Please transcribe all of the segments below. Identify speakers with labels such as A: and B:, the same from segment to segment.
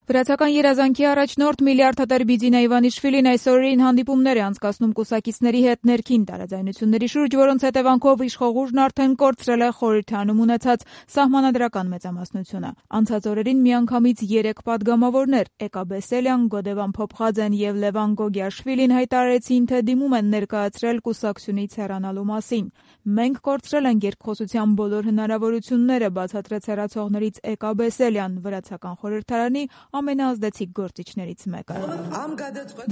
A: Վրացական երազանքի առաջնորդ միլիարդատեր Բիձինա Իվանիշվիլին այս օրերին հանդիպումներ է անցկացնում կուսակիցների հետ ներքին տարաձայնությունների շուրջ, որոնց հետևանքով իշխող ուժն արդեն կորցրել է խորհրդարանում ունեցած սահմանադրական մեծամասնությունը։ Անցած օրերին միանգամից 3 падգամավորներ՝ Էկա Բեսելյան, Գոդևան Փոփխաձեն եւ Լևան Գոգիաշվիլին հայտարարեցին, թե դիմում են ներկայացրել կուսակցությունից հեռանալու մասին։ Մենք կորցրել ենք երկխոսության բոլոր հնարավորությունները, բացատրեց հեռացողներից Էկա Բեսելյան, վրացական խորհրդարանի ամենաազդեցիկ գործիչներից մեկը։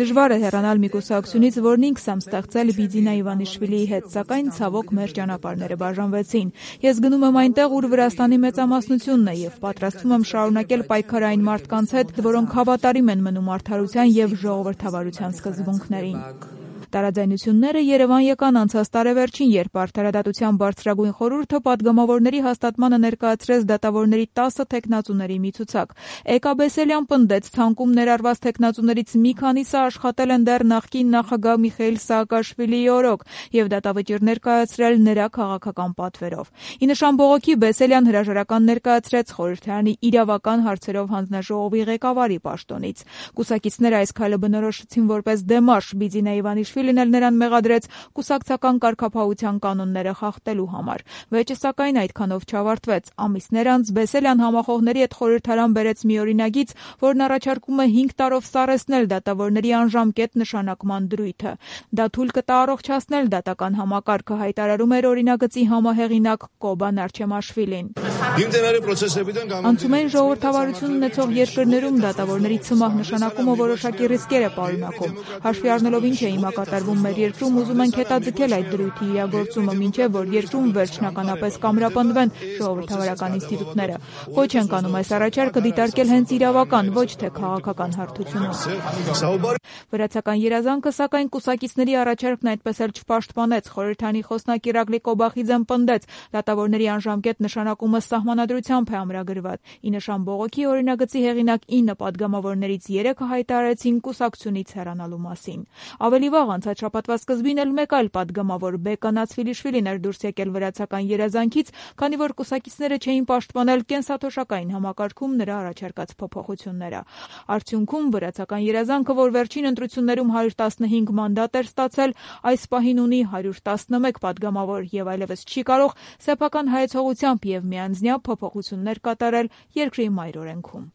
A: Դժվար է հեռանալ մի կուսակցությունից, որն ինքս եմ ստեղծել Բիձինա Իվանիշվիլիի հետ, սակայն ցավոք մեր ճանապարհները բաժանվեցին։ Ես գնում եմ այնտեղ, ուր Վրաստանի մեծամասնությունն է, եւ պատրաստվում եմ շարունակել պայքարը այն մարդկանց հետ, որոնք հավատարիմ են մնում արդարության եւ ժողովրդավարության սկզբունքներին։ Տարաձայնությունները Երևան եկան անցած տարեվերջին, երբ Արդարադատության բարձրագույն խորհուրդը падգամավորների հաստատմանը ներկայացրեց դատավորների 10 թեկնածուների մի ցուցակ։ Էկա Բեսելյան պնդեց, ցանկում ներառված թեկնածուներից մի քանիսը աշխատել են դեռ նախկին նախագահ Միխայիլ Սաակաշվիլիի օրոք եւ դատավճիռ ներկայացրել նրա քաղաքական պատվերով։ Ի նշան բողոքի Բեսելյան հրաժարական ներկայացրեց խորհրդարանի իրավական հարցերով հանձնաժողովի ղեկավարի պաշտոնից։ Կուսակիցները այս քայլը բնորոշեցին որպես դեմարշ Բիձինա Իվանիշվիլին էլ նրան մեղադրեց կուսակցական կարգապահության կանոնները խախտելու համար։ Վեճը սակայն այդքանով չավարտվեց։ Ամիսներ անց Բեսելյան համախոհների հետ խորհրդարան բերեց մի օրինագիծ, որն առաջարկում է 5 տարով սառեցնել դատավորների անժամկետ նշանակման դրույթը։ Դա թույլ կտա առողջացնել դատական համակարգը, հայտարարում էր օրինագծի համահեղինակ Կոբան Արչեմաշվիլին։ Անցումային ժողովրդավարություն ունեցող երկրներում դատավորների ցմահ նշանակումը որոշակի ռիսկեր է պարունակում։ Հաշվի առնելով ինչ է հիմա կատարվում մեր երկրում, ուզում ենք հետաձգել այդ դրույթի իրագործումը, մինչև որ երկրում վերջնականապես կամրապնդվեն ժողովրդավարական ինստիտուտները։ Ոչ ենք անում այս առաջարկը դիտարկել հենց իրավական, ոչ թե քաղաքական հարթությունում։ Վրացական երազանքը, սակայն կուսակիցների առաջարկն այդպես էլ չպաշտպանեց։ Խորհրդարանի խոսնակ Իրակլի Կոբախիձեն պնդեց, դատավորների անժամկետ նշանակումը սահմանադրությամբ է ամրագրված։ Ի նշան բողոքի օրինագծի հեղինակ 9 падգամավորներից 3-ը հայտարարեցին կուսակցությունից հեռանալու մասին։ Ավելի վաղ անցած շաբաթվա սկզբին էլ մեկ այլ падգամավոր Բեկա Նացվիլիշվիլին էր դուրս եկել վրացական երազանքից, քանի որ կուսակիցները չէին պաշտպանել կենսաթոշակային համակարգում նրա առաջարկած փոփոխությունները։ Արդյունքում վրացական երազանքը, որ վերջին ընտրություններում 115 մանդատ էր ստացել, այս պահին ունի 111 падգամավոր եւ այլևս չի կարող սեփական հայեցողությամբ եւ միանձնյա փոփոխություններ կատարել երկրի մայր օրենքում։